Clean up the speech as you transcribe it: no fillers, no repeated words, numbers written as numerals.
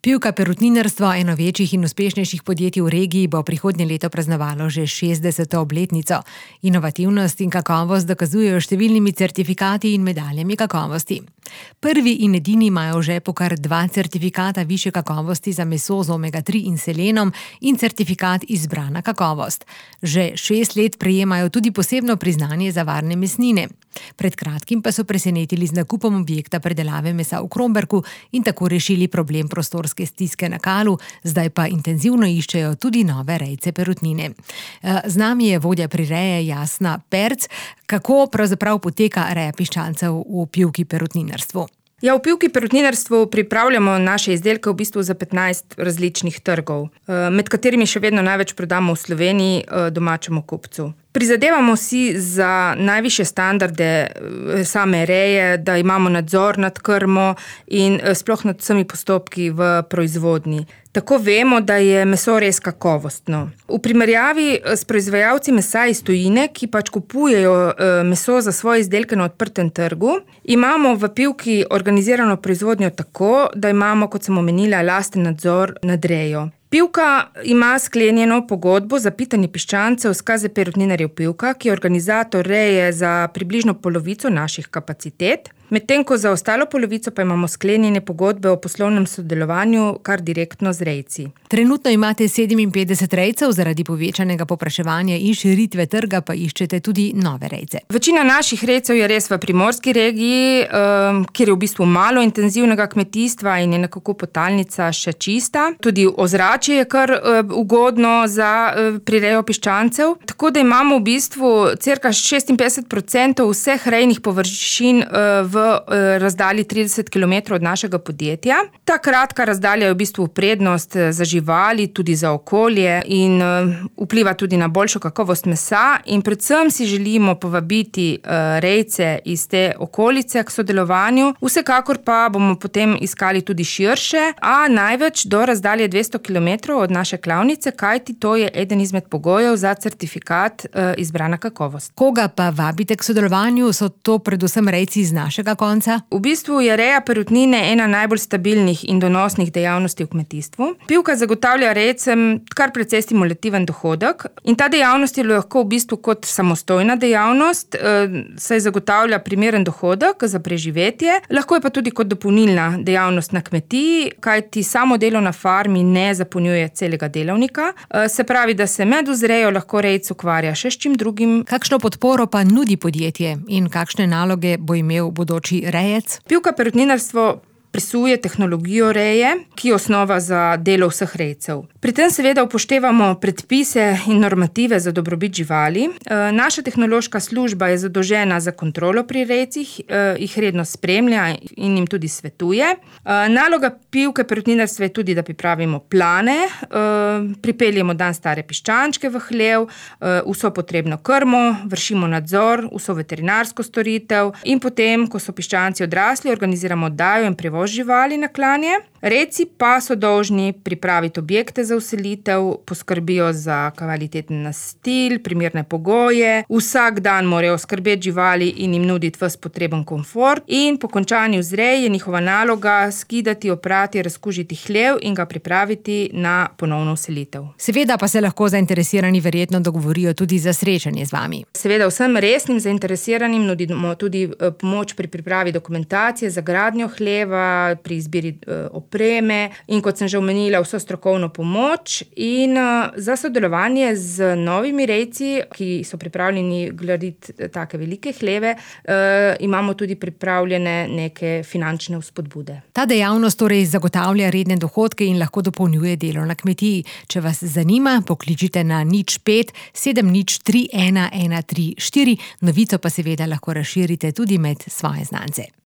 Pivka perutninarstvo, eno večjih in uspešnejših podjetij v regiji, bo prihodnje leto praznovalo že 60. obletnico. Inovativnost in kakovost dokazujejo številnimi certifikati in medaljami kakovosti. Prvi in edini imajo v žepu kar 2 certifikata višje kakovosti za meso z omega-3 in selenom in certifikat izbrana kakovost. Že 6 let prejemajo tudi posebno priznanje za varne mesnine. Pred kratkim pa so presenetili z nakupom objekta predelave mesa v Kromberku in tako rešili problem prostorske stiske na Kalu, zdaj pa intenzivno iščejo tudi nove rejce perutnine. Z nami je vodja prireje Jasna Perc. Kako pravzaprav poteka reja piščancev v Pivki perutninarstvu? Ja, v Pivki perutninarstvu pripravljamo naše izdelke v bistvu za 15 različnih trgov, med katerimi še vedno največ prodamo v Sloveniji domačemu kupcu. Prizadevamo si za najvišje standarde same reje, da imamo nadzor nad krmo in sploh nad vsemi postopki v proizvodnji. Tako vemo, da je meso res kakovostno. V primerjavi s proizvajalci mesa iz tujine, ki pač kupujejo meso za svoje izdelke na odprtem trgu, imamo v Pivki organizirano proizvodnjo tako, da imamo, kot sem omenila, lasten nadzor nad rejo. Pivka ima sklenjeno pogodbo za pitanje piščancev s KZ Perutninarjev Pivka, ki je organizator reje za približno polovico naših kapacitet, medtem ko za ostalo polovico pa imamo sklenjene pogodbe o poslovnem sodelovanju kar direktno z rejci. Trenutno imate 57 rejcev, zaradi povečanega povpraševanja in širitve trga pa iščete tudi nove rejce. Večina naših rejcev je res v primorski regiji, kjer je v bistvu malo intenzivnega kmetijstva in je nekako potalnica še čista. Tudi ozračje je kar ugodno za prirejo piščancev, tako da imamo v bistvu cirka 56% vseh rejnih površin v razdalji 30 km od našega podjetja. Ta kratka razdalja je v bistvu prednost za živali, tudi za okolje in vpliva tudi na boljšo kakovost mesa in predvsem si želimo povabiti rejce iz te okolice k sodelovanju. Vsekakor pa bomo potem iskali tudi širše, a največ do razdalje 200 km od naše klavnice, kajti to je eden izmed pogojev za certifikat izbrana kakovost. Koga pa vabite k sodelovanju? So to predvsem rejci iz našega konca? V bistvu je reja perutnine ena najbolj stabilnih in donosnih dejavnosti v kmetijstvu. Pivka zagotavlja rejcem kar precej stimulativen dohodek in ta dejavnost je lahko v bistvu kot samostojna dejavnost, saj zagotavlja primeren dohodek za preživetje, lahko je pa tudi kot dopolnilna dejavnost na kmetiji, kajti samo delo na farmi ne zapolnjuje celega delavnika. Se pravi, da se med vzrejo lahko rejec ukvarja še s čim drugim. Kakšno podporo pa nudi podjetje in kakšne naloge bo imel bodoči rejec? Pivka perutninarstvo presuje tehnologijo reje, ki je osnova za delo vseh rejcev. Pri tem seveda upoštevamo predpise in normative za dobrobit živali. Naša tehnološka služba je zadolžena za kontrolo pri rejcih, jih redno spremlja in jim tudi svetuje. Naloga Pivke perutninarstva je tudi, da pripravimo plane, pripeljemo dan stare piščančke v hlev, vso potrebno krmo, vršimo nadzor, vso veterinarsko storitev in potem, ko so piščanci odrasli, organiziramo oddajo in prevoz živali na klanje. Rejci pa so dolžni pripraviti objekte za vselitev, poskrbijo za kvaliteten nastil, primerne pogoje, vsak dan morajo skrbeti živali in jim nuditi ves potreben komfort in po končani vzreji je njihova naloga skidati, oprati, razkužiti hlev in ga pripraviti na ponovno vselitev. Seveda pa se lahko zainteresirani verjetno dogovorijo tudi za srečanje z vami. Seveda vsem resnim zainteresiranim nudimo tudi pomoč pri pripravi dokumentacije za gradnjo hleva, pri izbiri opreme in kot sem že omenila, vso strokovno pomoč in za sodelovanje z novimi rejci, ki so pripravljeni graditi take velike hleve, imamo tudi pripravljene neke finančne vzpodbude. Ta dejavnost torej zagotavlja redne dohodke in lahko dopolnjuje delo na kmetiji. Če vas zanima, pokličite na 05 703 1134, novico pa seveda lahko razširite tudi med svoje znance.